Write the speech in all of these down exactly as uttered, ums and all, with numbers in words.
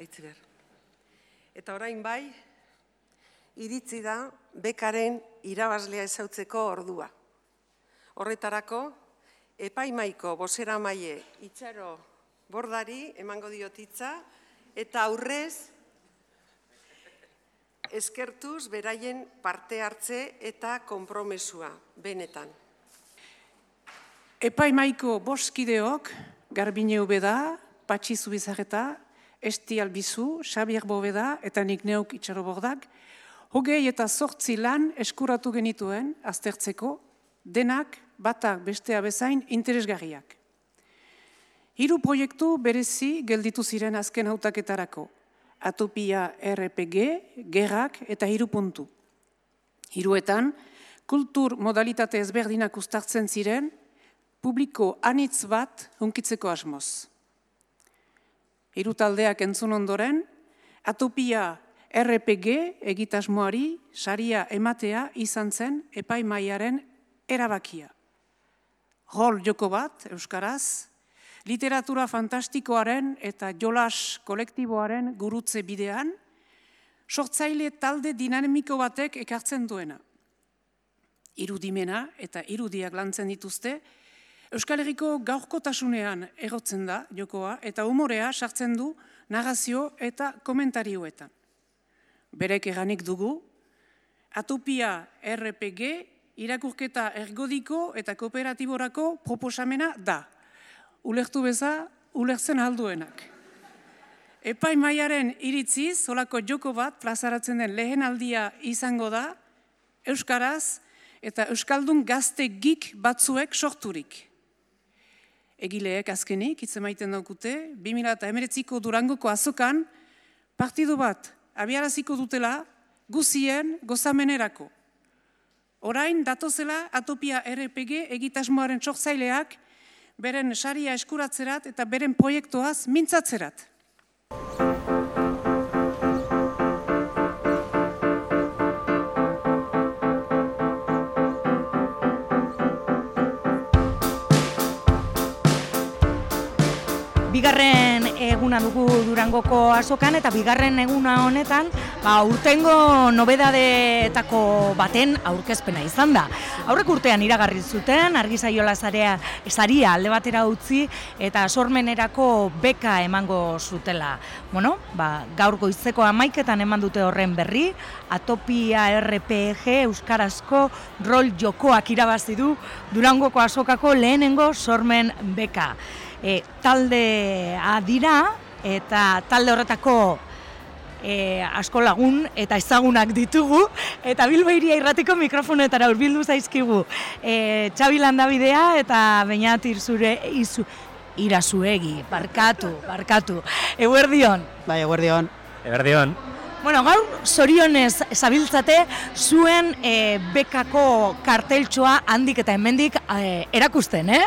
Aitziber. Eta orain bai, iritzi da bekaren irabazlea ezautzeko ordua. Horretarako, epaimaiko bozeramaile Itxaro Bordari emango diotitza eta aurrez eskertuz beraien parte hartze eta konpromesua, benetan. Epaimaiko boskideok, Garbine Ubeda, Patxi Zubizarreta, Esti Albizu, Xabier Bobeda eta nik neuk Itxaro Bordak, hogei eta zortzi lan eskuratu genituen aztertzeko, denak batak bestea bezain interesgarriak. Hiru proiektu berezi gelditu ziren azken hautaketarako, Atopia R P G, Gerrak eta hiru puntu. Hiruetan, kultur modalitate ezberdinak uztartzen ziren, publiko anitz bat hunkitzeko asmoz. Hiru taldeak entzun ondoren, Atopia R P G egitasmoari saria ematea izan zen epaimaiaren erabakia. Rol joko bat, euskaraz, literatura fantastikoaren eta jolas kolektiboaren gurutze bidean, sortzaile talde dinamiko batek ekartzen duena. Irudimena eta irudiak lantzen dituzte, Euskal Herriko gaurkotasunean egotzen da jokoa eta umorea sartzen du narrazio eta komentarioetan. Berek eranik dugu, Atopia R P G irakurketa ergodiko eta kooperatiborako proposamena da. Ulertu beza, ulertzen alduenak. Epaimaiaren iritziz, holako joko bat plazaratzen den lehen aldia izango da, euskaraz eta euskaldun gazte gik batzuek sorturik. Egileek azkenik, hitz emaiten daukute, bi mila hemeretziko Durangoko azokan, partidu bat abiaraziko dutela guzien gozamenerako. Orain datozela Atopia R P G egitasmoaren sortzaileak beren saria eskuratzerat eta beren proiektuaz mintzatzerat. Bigarren eguna dugu Durangoko azokan eta bigarren eguna honetan ba, urtengo nobedadetako baten aurkezpena izan da. Aurrek urtean iragarri zuten, Argizaiola saria alde batera utzi eta sormenerako beka emango zutela. Bueno, ba, gaur goizeko hamaiketan eman dute horren berri, Atopia R P G euskarazko rol jokoak irabazi du Durangoko azokako lehenengo sormen beka. E, taldea dira eta talde horretako e, asko lagun eta ezagunak ditugu eta Bilbo Hiria Irratiko mikrofonetara hurbildu zaizkigu. E, Txabi Landabidea eta Beñat Irzure izu, Irazuegi, barkatu, barkatu. Eguerdion. Bai, eguerdion. Eguerdion. Bueno, gaur zorionez zabiltzate zuen e, bekako karteltxoa handik eta hemendik e, erakusten, eh?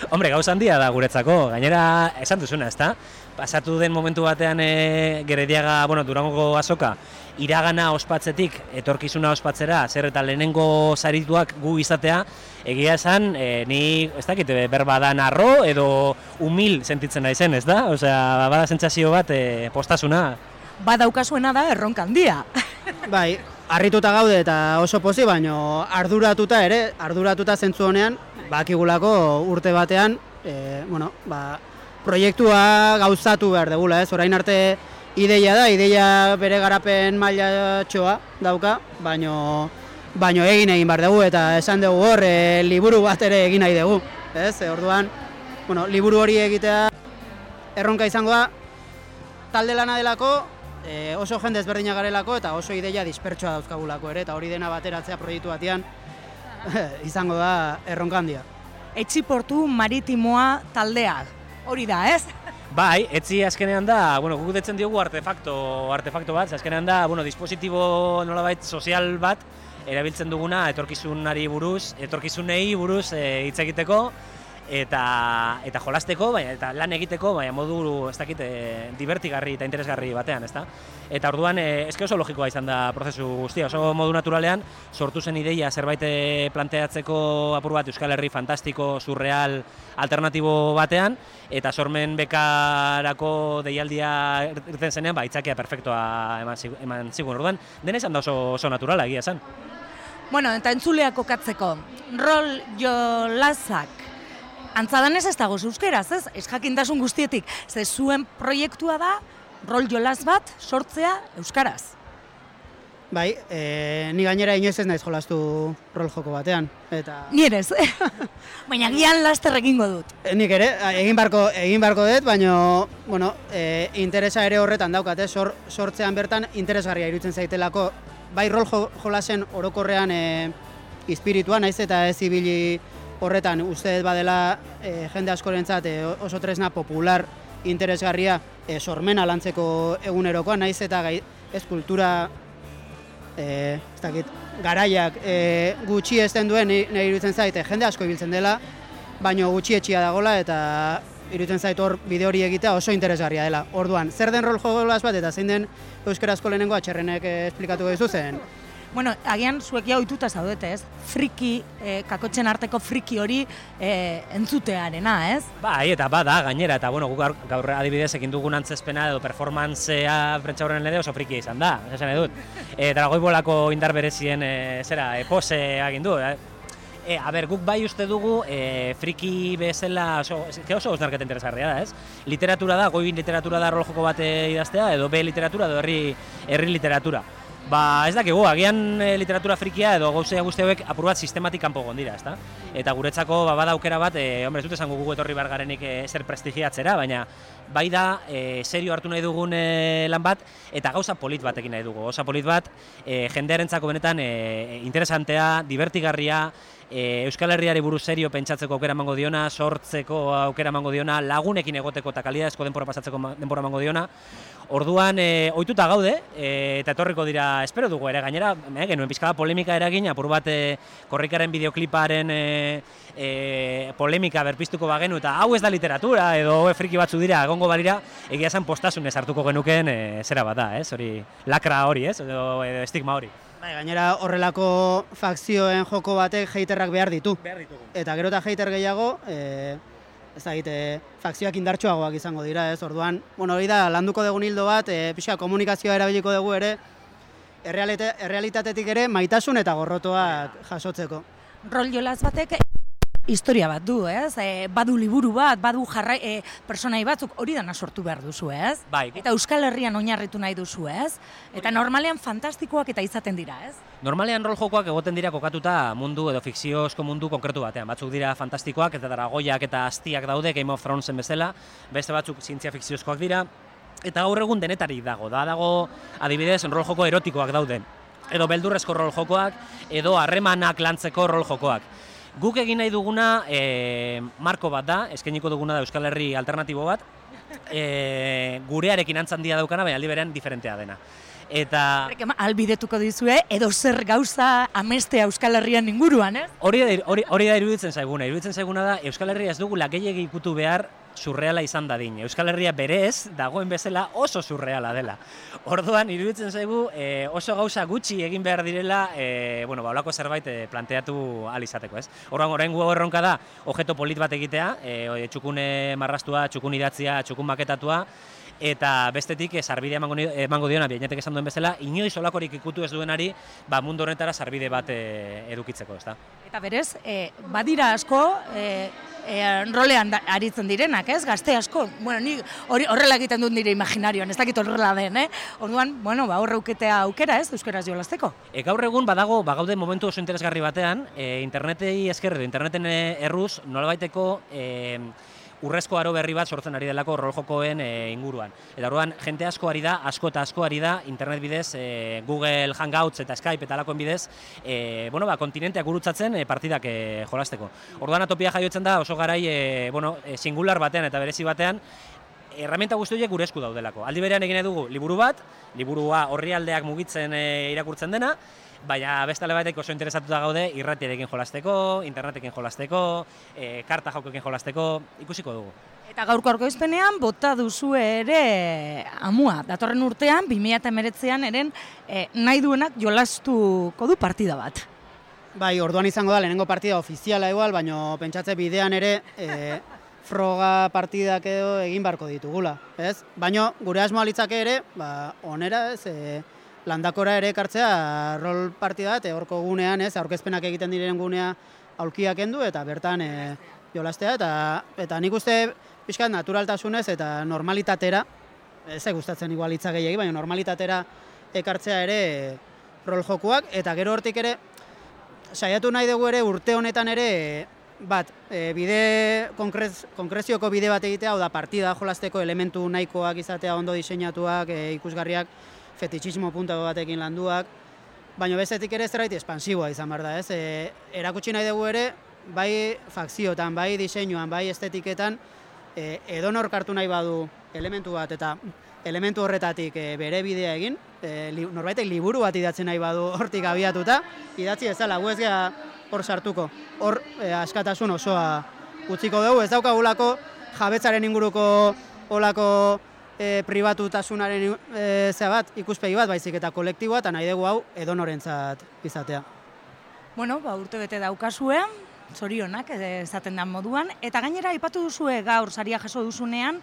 Hombre, gauz handia da guretzako, gainera esan duzuna, ezta? Pasatu den momentu batean e, Gerediaga, bueno, Durangoko azoka, iragana ospatzetik, etorkizuna ospatzera, zer eta lehenengo sarituak gu izatea, egia esan, e, ni, ez dakit, berba da narro edo humil sentitzen naizen, ez da? Osea, bada sentsazio bat, e, postasuna. Badaukasuena da erronka handia. Bai, harrituta gaude eta oso pozi, baino arduratuta ere, arduratuta zentzu honean, bakigulako urte batean, e, bueno, ba, proiektua gauzatu behar degula, ez? Orain arte ideia da, ideia bere garapen mailatxoa dauka, baino, baino egin egin behar dugu, eta esan dugu hor, e, liburu bat ere egin nahi dugu, ez? E, orduan, bueno, liburu hori egitea erronka izango da, talde lana delako, e, oso jende ezberdina garelako, eta oso ideia dispertsoa dauzkagulako ere, eta hori dena bateratzea proiektu batean, izango da erronka handia. Etxiportu maritimoa taldeak, hori da, ez? Bai, etzi azkenean da, bueno, guk detzen diogu artefakto, artefakto bat, azkenean da, bueno, dispositibo nolabait sozial bat, erabiltzen duguna etorkizunari buruz, etorkizunei buruz hitz egiteko, eta eta jolasteko, baina eta lan egiteko, baina modu ez dakit e, divertigarri eta interesgarri batean, ezta? Eta orduan e, eske oso logikoa izan da prozesu guztia, oso modu naturalean sortu zen ideia zerbait planteatzeko apur bat Euskal Herri fantastiko, surreal, alternatibo batean, eta sormen bekarako deialdia irten zenean, ba, itzakia perfektoa eman, eman zigun. Orduan, dena izan da oso, oso naturala, egia esan. Bueno, eta entzuleak kokatzeko, rol jolasak, antzadanez ez dago euskeraz, ez? Ez jakintasun guztietik, ze zuen proiektua da, rol jolas bat sortzea euskaraz. Bai, e, ni gainera inoiz ez naiz jolastu rol joko batean. Eta... Ni ere ez, baina gian laster egingo dut. Nik ere, egin barko, egin barko dut, baina bueno, e, interesa ere horretan daukat, sor, sortzean bertan interesgarria iruditzen zaitelako, bai rol jolasen orokorrean e, espiritua, naiz eta ez ibili horretan uste dut badela e, jende askorentzat e, oso tresna popular interesgarria e, sormena lantzeko egunerokoa, naiz eta gai, ez kultura e, ez dakit, garaiak e, gutxi ezten duen nahi iruditzen zait, e, jende asko ibiltzen dela, baino gutxi etxia dagola eta iruditzen zait hor bide hori egitea oso interesgarria dela. Orduan, zer den rol jolas bat eta zein den euskarazko lehenengo atxerrenek e, esplikatuko dizu zen? Bueno, agian zuek ja ohituta zaudete, ez? Friki, eh, kakotzen arteko friki hori eh, entzutearena, ez? Bai, eta bada, gainera, eta bueno, guk gaur adibidez ekin dugun antzezpena edo performantzea prentsaurren lede oso friki izan da, esan edut. E, Dragoibolako indar berezien e, zera, e, pose egin du, eh? E, a ber, guk bai uste dugu e, friki bezala oso, oso osnarketa interesgarria da, ez? Literatura da, goi literatura da rol joko bat idaztea, edo B literatura, edo herri, herri literatura. Ba, ez dakigu, agian e, literatura frikia edo gauzea guzti hauek apur bat sistematik kanpo gondira, ezta? Eta guretzako ba, bada aukera bat, e, hombre, ez dut esango gugu etorri bargarenik e, zer prestigiatzera, baina bai da, e, serio hartu nahi dugun e, lan bat, eta gauza polit batekin nahi dugu. Gauza polit bat, e, jendearentzako benetan e, interesantea, divertigarria, e, Euskal Herriari buruz serio pentsatzeko aukera emango diona, sortzeko aukera emango diona, lagunekin egoteko eta kalidadezko denbora pasatzeko denbora emango diona. Orduan, e, ohituta gaude, e, eta etorriko dira, espero dugu ere, gainera, e, genuen pizkada polemika eragin, apur bat e, korrikaren bideokliparen e, e, polemika berpiztuko bagenu, eta hau ez da literatura, edo e, friki batzu dira, egongo balira, egia esan postasunez hartuko genuken e, zera bat da, ez, hori, lakra hori, ez, edo, edo estigma hori. Bai, gainera horrelako fakzioen joko batek haterrak behar ditu. Behar ditugu. Eta gero eta hater gehiago, e, ez da egite, fakzioak indartsuagoak izango dira, ez, orduan, bueno, hori da, landuko dugun hildo bat, e, pixka komunikazioa erabiliko dugu ere, errealite, errealitatetik ere maitasun eta gorrotoak jasotzeko. Rol jolas batek historia bat du, ez? E, badu liburu bat, badu jarrai, e, personai batzuk, hori dana sortu behar duzu, ez? Bai. Eta Euskal Herrian oinarritu nahi duzu, ez? Eta normalean fantastikoak eta izaten dira, ez? Normalean rol jokoak egoten dira kokatuta mundu edo fikziozko mundu konkretu batean. Batzuk dira fantastikoak eta dragoiak eta astiak daude Game of Thronesen bezala, beste batzuk zientzia fikziozkoak dira, eta gaur egun denetarik dago. Da dago adibidez rol joko erotikoak dauden, edo beldurrezko rol jokoak, edo harremanak lantzeko rol jokoak. Guk egin nahi duguna e, marko bat da, eskainiko duguna da Euskal Herri alternatibo bat, e, gurearekin antzandia daukana, baina aldi berean diferentea dena. Eta albidetuko dizue edo zer gauza amestea Euskal Herrian inguruan, ez? Hori da, hori, hori da iruditzen zaiguna. Iruditzen zaiguna da Euskal Herria ez dugula gehiegi ikutu behar surreala izan dadin. Euskal Herria berez dagoen bezala oso surreala dela. Orduan iruditzen zaigu e, oso gauza gutxi egin behar direla, e, bueno, ba, holako zerbait e, planteatu ahal izateko, ez? Orduan oraingo erronka da objeto polit bat egitea, e, txukune marrastua, txukun idatzia, txukun maketatua, eta bestetik sarbide emango, emango diona, biainetek esan duen bezala, inoiz olakorik ikutu ez duenari, ba, mundu honetara sarbide bat e, edukitzeko, ezta? Eta berez, e, badira asko, e, e, rolean da, aritzen direnak, ez? Gazte asko, bueno, ni hori horrela egiten dut nire imaginarioan, ez dakit horrela den, eh? Orduan, bueno, ba, horre uketea aukera, ez? Euskaraz jolasteko. E, gaur egun badago, bagaude momentu oso interesgarri batean, e, internetei esker edo interneten erruz, nolabaiteko e, urrezko aro berri bat sortzen ari delako rol jokoen e, inguruan. Eta orduan, jente asko ari da, asko eta asko ari da, internet bidez, e, Google Hangouts eta Skype eta alakoen bidez, e, bueno, ba, kontinenteak gurutzatzen e, partidak e, jolasteko. Orduan atopia jaiotzen da oso garai e, bueno, e, singular batean eta berezi batean, erramienta guzti horiek gure esku daudelako. Aldi berean egin dugu liburu bat, liburua orrialdeak mugitzen e, irakurtzen dena, baina beste alde batek oso interesatuta gaude irratiarekin jolasteko, internetekin jolasteko, e, karta jokoekin jolasteko, ikusiko dugu. Eta gaurko aurkezpenean bota duzu ere amua. Datorren urtean, bi mila hemeretzian eren e, nahi duenak jolastuko du partida bat. Bai, orduan izango da lehenengo partida ofiziala igual, baina pentsatze bidean ere e, froga partidak edo egin barko ditugula, ez? Baina gure asmoa litzake ere, ba, onera, ez, e, landakora ere ekartzea rol partida bat, horko gunean, ez, aurkezpenak egiten diren gunea aulkiak kendu eta bertan e, jolastea, eta, eta nik uste pixkat naturaltasunez eta normalitatera, ez gustatzen igual hitza gehiegi, baina normalitatera ekartzea ere rol jokuak, eta gero hortik ere, saiatu nahi dugu ere urte honetan ere, bat, e, bide, konkrez, konkrezioko bide bat egitea, hau da partida jolasteko elementu nahikoak izatea ondo diseinatuak, e, ikusgarriak, fetixismo punta batekin landuak, baina bestetik ere zerbait espansiboa izan behar da, ez? E, erakutsi nahi dugu ere, bai fakziotan, bai diseinuan, bai estetiketan, e, edonork hartu nahi badu elementu bat eta elementu horretatik e, bere bidea egin, e, li, norbaitek liburu bat idatzi nahi badu hortik abiatuta, idatzi ezala, gu ez geha hor sartuko, hor e, askatasun osoa utziko dugu, ez daukagulako jabetzaren inguruko olako e, pribatutasunaren e, zea bat, ikuspegi bat, baizik eta kolektiboa, eta nahi dugu hau edonorentzat izatea. Bueno, ba, urte bete daukazue, zorionak esaten den moduan, eta gainera aipatu duzue gaur saria jaso duzunean,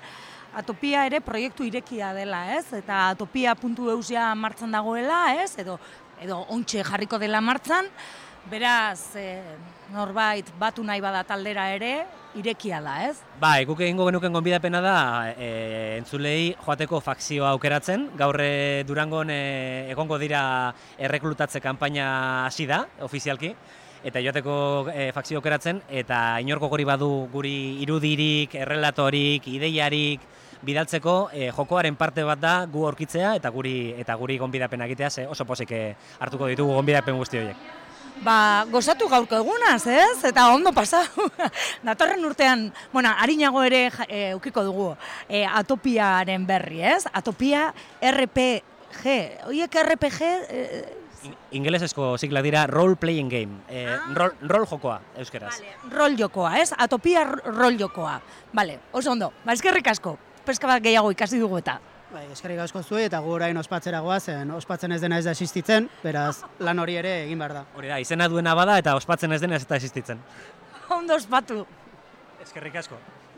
Atopia ere proiektu irekia dela, ez? Eta atopia puntu eus ja martxan dagoela, ez? Edo, edo ontxe jarriko dela martxan, beraz, e, norbait batu nahi bada taldera ere, irekia da, ez? Ba, guk egingo genuken gonbidapena da e, entzulei joateko fakzioa aukeratzen. Gaur e, Durangon e, egongo dira erreklutatze kanpaina hasi da, ofizialki. Eta joateko e, fakzio aukeratzen, eta inorko gori badu guri irudirik, errelatorik, ideiarik bidaltzeko e, jokoaren parte bat da gu aurkitzea eta guri eta guri gonbidapena egitea, ze oso pozik hartuko ditugu gonbidapen guzti horiek. Ba, gozatu gaurko egunaz, ez? Eta ondo pasa. Datorren urtean, bueno, harinago ere e, ukiko dugu e, Atopiaren berri, ez? Atopia R P G. Oiek R P G... E, Ingelesezko siglak dira role playing game, e, ah. rol, rol jokoa euskeraz. Vale, rol jokoa, ez? Atopia rol jokoa. Vale, oso ondo. Ba, eskerrik asko. Peska bat gehiago ikasi dugu eta. Bai, eskerrik asko zuei eta gu orain ospatzera goazen, ospatzen ez dena ez da existitzen, beraz lan hori ere egin behar da. Hori da, izena duena bada eta ospatzen ez dena ez da existitzen. Ondo ospatu. Eskerrik asko.